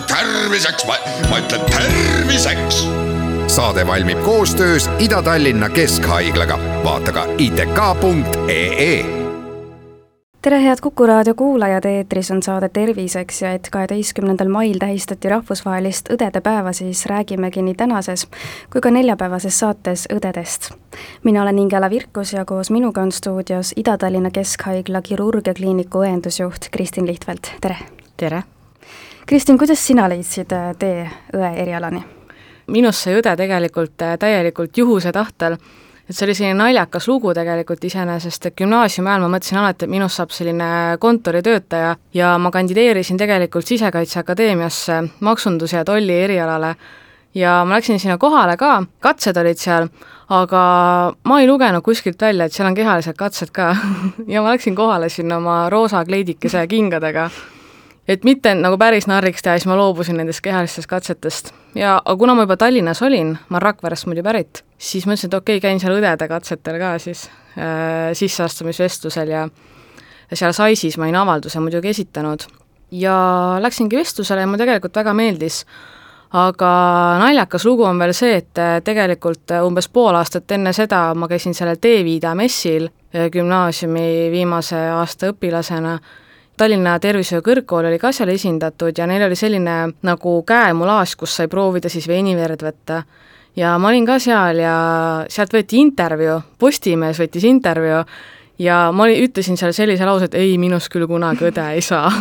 Terviseks, ma ütlen terviseks. Saade valmib koostöös Ida-Tallinna Keskhaiglaga. Vaata ka itk.ee. Tere head Kuku raadio kuulajad, eetris on saade Terviseks ja et 12. mail tähistati rahvusvahelist õdede päeva, siis räägimegi nii tänases kui ka neljapäevases saates õdedest. Mina olen Ingela Virkus ja koos minuga on stuudios Ida-Tallinna Keskhaigla kirurgiakliiniku õendusjuht Kristin Lihtvält. Tere! Tere! Kristin, kuidas sina leidsid tee õe erialani? Minust sai õde tegelikult täielikult juhuse tahtel. Et see oli selline naljakas lugu tegelikult iseenesest, et gümnaasiumi ajal ma mõtlesin alati, et minust saab selline kontoritöötaja ja ma kandideerisin tegelikult Sisekaitseakadeemiasse maksunduse ja tolli erialale ja ma läksin sinna kohale ka, katsed olid seal, aga ma ei lugenud kuskilt välja, et seal on kehalised katsed ka ja ma läksin kohale sinna oma roosa kleidikese ja kingadega. Et mitte nagu päris narriks teha, siis ma loobusin nendest kehalistest katsetest. Ja kuna ma juba Tallinnas olin, ma Rakverest muidu pärit, siis mõtlesin, et okei, käin seal õdede katsetel ka siis sisseastumisvestlusel ja seal Saisis ma olin avalduse muidugi esitanud. Ja läksingi vestlusele ja mulle tegelikult väga meeldis. Aga naljakas lugu on veel see, et tegelikult umbes pool aastat enne seda ma käisin sellel T-Viida messil gümnaasiumi viimase aasta õpilasena. Tallinna Tervishoiu Kõrgkool oli ka seal esindatud ja neil oli selline nagu käemulaas, kus sai proovida siis veiniverd võtta. Ja ma olin ka seal ja sealt võeti intervjuu, Postimees võttis intervjuu ja ma ütlesin seal sellise lause, et ei, minust küll kunagi õde ei saa.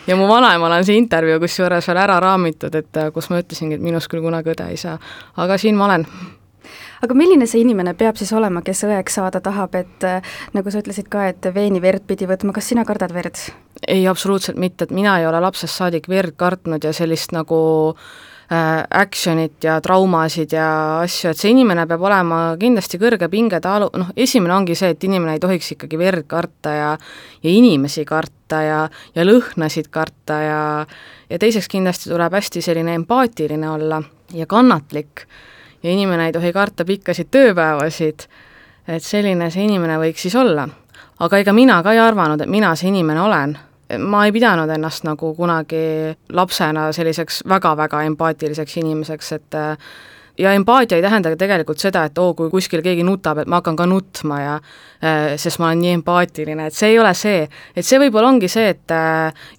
Ja mu vanaemal on see intervjuu kusjuures veel ära raamitud, et kus ma ütlesingi, et minust küll kunagi õde ei saa. Aga siin ma olen. Aga milline see inimene peab siis olema, kes õeks saada tahab, et nagu sa ütlesid ka, et veeniverd pidi võtma, kas sina kardad verd? Ei, absoluutselt mitte, et mina ei ole lapsest saadik verd kartnud ja sellist nagu actionit ja traumasid ja asju, et see inimene peab olema kindlasti kõrge pingetalu, esimene ongi see, et inimene ei tohiks ikkagi verd karta ja inimesi karta ja lõhnasid karta ja teiseks kindlasti tuleb hästi selline empaatiline olla ja kannatlik ja inimene ei tohi karta pikkasid tööpäevasid, et selline see inimene võiks siis olla. Aga ega mina ka ei arvanud, et mina see inimene olen. Ma ei pidanud ennast nagu kunagi lapsena selliseks väga-väga empaatiliseks inimeseks, et ja empaatia ei tähenda tegelikult seda, et kui kuskil keegi nutab, et ma hakkan ka nutma ja sest ma olen nii empaatiline, et see ei ole see, et see võib-olla ongi see, et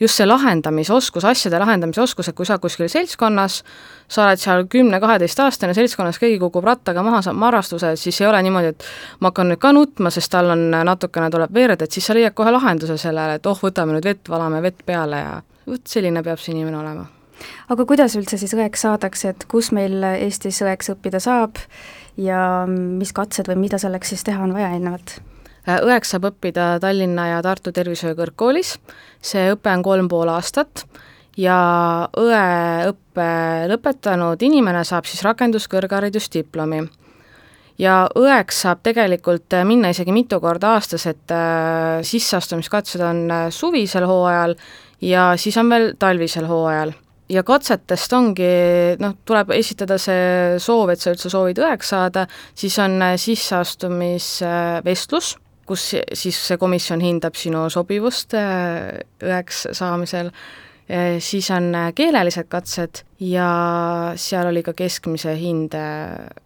just see lahendamisoskus, asjade lahendamisoskus, et kui sa kuskil seltskonnas, sa oled seal 10-12 aastane seltskonnas, keegi kukub rattaga maha, saab marrastuse, siis ei ole niimoodi, et ma hakkan nüüd ka nutma, sest tal on natukene tuleb verd, et siis sa leiad kohe lahenduse sellele, et võtame nüüd vett, valame vett peale ja selline peab see inimene olema. Aga kuidas üldse siis õeks saadakse, et kus meil Eestis õeks õppida saab ja mis katsed või mida selleks siis teha on vaja eelnevalt? Õeks saab õppida Tallinna ja Tartu Tervishoiu Kõrgkoolis, see õpe on 3,5 aastat ja õeõppe lõpetanud inimene saab siis rakenduskõrgharidusdiplomi. Ja õeks saab tegelikult minna isegi mitu korda aastas, et sisseastumiskatsed on suvisel hooajal ja siis on veel talvisel hooajal. Ja katsetest ongi, tuleb esitada see soov, et sa üldse soovid õeks saada, siis on sisseastumisvestlus, kus siis see komisjon hindab sinu sobivust õeks saamisel, siis on keelelised katsed ja seal oli ka keskmise hinde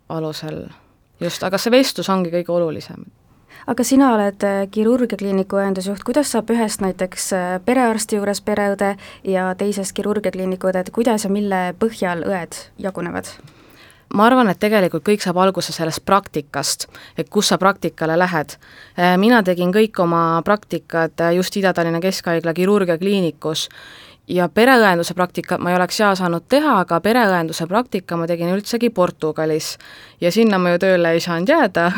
alusel just, aga see vestlus ongi kõige olulisem. Aga sina oled kirurgiakliiniku õendusjuht, kuidas saab ühest näiteks perearsti juures pereõde ja teisest kirurgiakliiniku õde, kuidas ja mille põhjal õed jagunevad? Ma arvan, et tegelikult kõik saab alguse sellest praktikast, et kus sa praktikale lähed. Mina tegin kõik oma praktikad just Ida-Tallinna Keskhaigla kirurgiakliinikus ja pereõenduse praktikat ma ei oleks seal saanud teha, aga pereõenduse praktika ma tegin üldsegi Portugalis ja sinna ma ju tööle ei saanud jääda,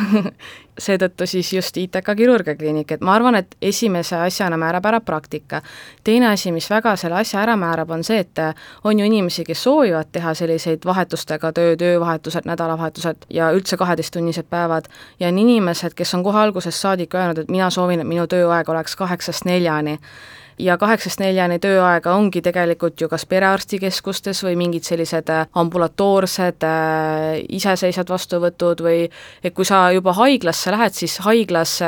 seetõttu siis just ITK kirurgiakliinik, et ma arvan, et esimese asjana määrab ära praktika. Teine asi, mis väga selle asja ära määrab, on see, et on ju inimesi, kes soovivad teha selliseid vahetustega töövahetused, nädalavahetused ja üldse 12-tunnised päevad ja on inimesed, kes on kohe algusest saadik öelnud, et mina soovin, et minu tööaeg oleks 8-4 ja 8-4 tööaega ongi tegelikult ju kas perearstikeskustes või mingid sellised ambulatoorsed iseseisvad vastuvõtud või et kui sa juba haiglasse lähed, siis haiglas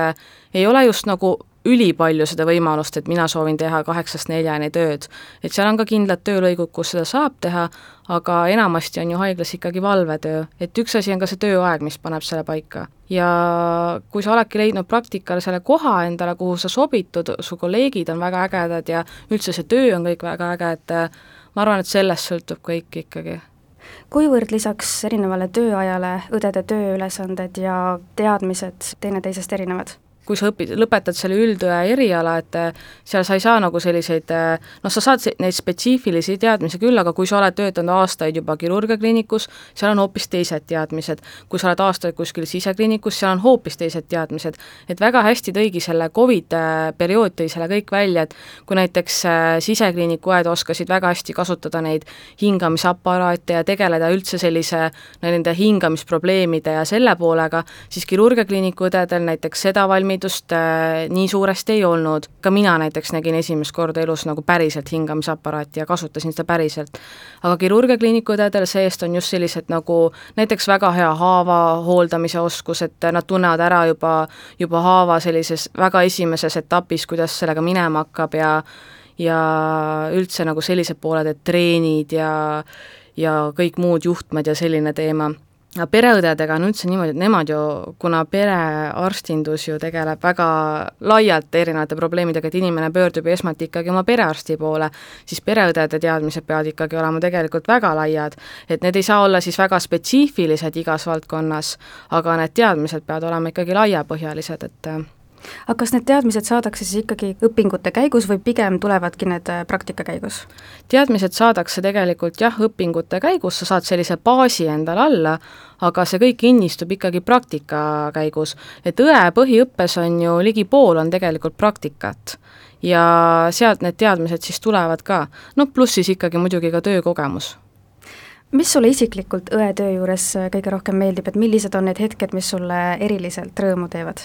ei ole just nagu ülipalju seda võimalust, et mina soovin teha 8–4 tööd. Et seal on ka kindlad töölõigud, kus seda saab teha, aga enamasti on ju haiglas ikkagi valvetöö, et üks asi on ka see tööaeg, mis paneb selle paika. Ja kui sa oledki leidnud praktikal selle koha endale, kuhu sa sobitud, su kolleegid on väga ägedad ja üldse see töö on kõik väga äge, et ma arvan, et sellest sõltub kõik ikkagi. Kuivõrd lisaks erinevale tööajale õdede tööülesanded ja teadmised teineteisest erinevad? Kui sa lõpetad selle üldõe eriala, et seal sa ei saa nagu selliseid, sa saad neid spetsiifilisi teadmisi küll, aga kui sa oled töötanud aastaid juba kirurgiakliinikus, seal on hoopis teised teadmised. Kui sa oled aastaid kuskil sisekliinikus, seal on hoopis teised teadmised. Et väga hästi tõigi selle COVID-periood tõi selle kõik välja, et kui näiteks sisekliiniku õed oskasid väga hästi kasutada neid hingamisaparaate ja tegeleda üldse sellise nende hingamisprobleemide ja selle poolega, siis kirurgiakliiniku õdedel näiteks seda nii suuresti ei olnud. Ka mina näiteks nägin esimest korda elus nagu päriselt hingamisaparaati ja kasutasin seda päriselt. Aga kirurgiakliiniku õdedel seest on just sellised nagu näiteks väga hea haava hooldamise oskus, et nad tunnevad ära juba haava sellises väga esimeses etapis, kuidas sellega minema hakkab ja üldse nagu sellised pooled, et treenid ja kõik muud juhtmed ja selline teema. Pereõdedega on üldse niimoodi, et nemad ju, kuna perearstindus ju tegeleb väga laialt erinevate probleemidega, et inimene pöördub esmalt ikkagi oma perearsti poole, siis pereõdede teadmised peavad ikkagi olema tegelikult väga laiad, et need ei saa olla siis väga spetsiifilised igas valdkonnas, aga need teadmised peavad olema ikkagi laiapõhjalised, et aga kas need teadmised saadakse siis ikkagi õpingute käigus või pigem tulevadki need praktika käigus? Teadmised saadakse tegelikult õpingute käigus, sa saad sellise baasi endal alla, aga see kõik innistub ikkagi praktika käigus. Et õe põhiõppes on ju ligi pool on tegelikult praktikat ja sealt need teadmised siis tulevad ka. Pluss siis ikkagi muidugi ka töökogemus. Mis sulle isiklikult õe töö juures kõige rohkem meeldib, et millised on need hetked, mis sulle eriliselt rõõmu teevad?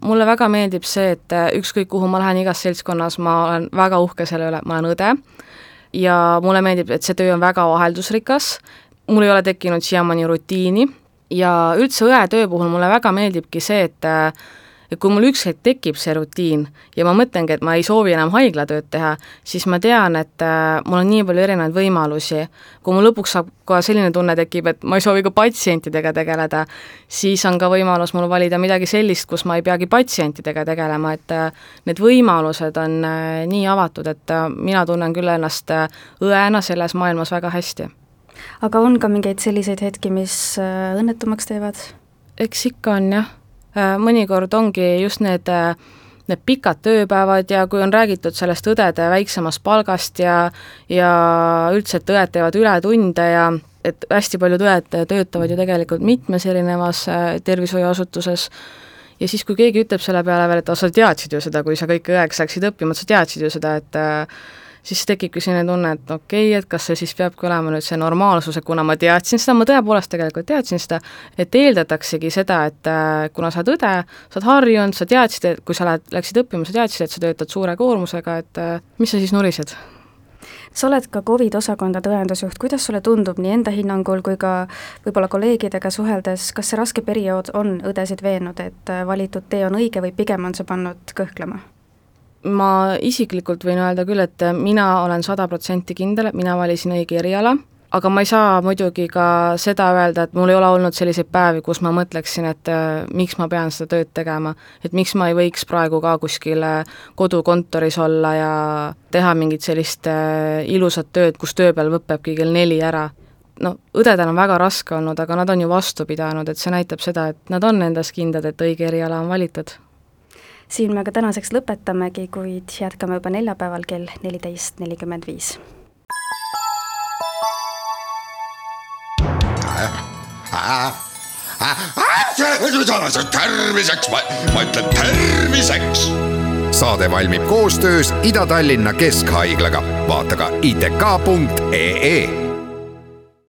Mulle väga meeldib see, et ükskõik kuhu ma lähen igas seltskonnas, ma olen väga uhke selle üle, ma olen õde ja mulle meeldib, et see töö on väga vaheldusrikas, mul ei ole tekkinud siiamaani rutiini ja üldse õe töö puhul mulle väga meeldibki see, et kui mul üks hetk tekib see rutiin ja ma mõtlengi, et ma ei soovi enam haiglatööd teha, siis ma tean, et mul on nii palju erinevaid võimalusi. Kui mul lõpuks saab ka selline tunne tekib, et ma ei soovi ka patsientidega tegeleda, siis on ka võimalus mul valida midagi sellist, kus ma ei peagi patsientidega tegelema, et need võimalused on nii avatud, et mina tunnen küll ennast õena selles maailmas väga hästi. Aga on ka mingeid selliseid hetki, mis õnnetumaks teevad? Eks ikka on jah. Mõnikord ongi just need pikad tööpäevad ja kui on räägitud sellest õdede väiksemast palgast ja üldse, et õed teevad ületunde ja et hästi paljud õed töötavad ju tegelikult mitmes erinevas tervishoiuasutuses ja siis, kui keegi ütleb selle peale veel, et sa teadsid ju seda, kui sa kõik õeks läksid õppima, sa teadsid ju seda, et siis tekibki selline tunne, et okei, et kas see siis peabki olema nüüd see normaalsus, et kuna ma teadsin seda, ma tõepoolest tegelikult teadsin seda, et eeldataksegi seda, et kuna sa oled õde, sa oled harjunud, sa teadsid, et kui sa läksid õppima, sa teadsid, et sa töötad suure koormusega, et mis sa siis nurised? Sa oled ka COVID-osakonda tõendusjuht, kuidas sulle tundub nii enda hinnangul kui ka võib-olla kolleegidega suheldes, kas see raske periood on õdesid veennud, et valitud tee on õige või pigem on see pannud kõhklema? Ma isiklikult võin öelda küll, et mina olen 100% kindel, et mina valisin õige eriala, aga ma ei saa muidugi ka seda öelda, et mul ei ole olnud selliseid päevi, kus ma mõtleksin, et miks ma pean seda tööd tegema, et miks ma ei võiks praegu ka kuskil kodukontoris olla ja teha mingit sellist ilusat tööd, kus tööpäev lõpebki kell 4 ära. Õdedel on väga raske olnud, aga nad on ju vastu pidanud, et see näitab seda, et nad on endas kindlad, et õige eriala on valitud. Siin me ka tänaseks lõpetamegi, kuid jätkame juba neljapäeval kell 14.45. Terviseks, ma ütlen terviseks! Saade valmib koostöös Ida-Tallinna Keskhaiglaga. Vaata ka itk.ee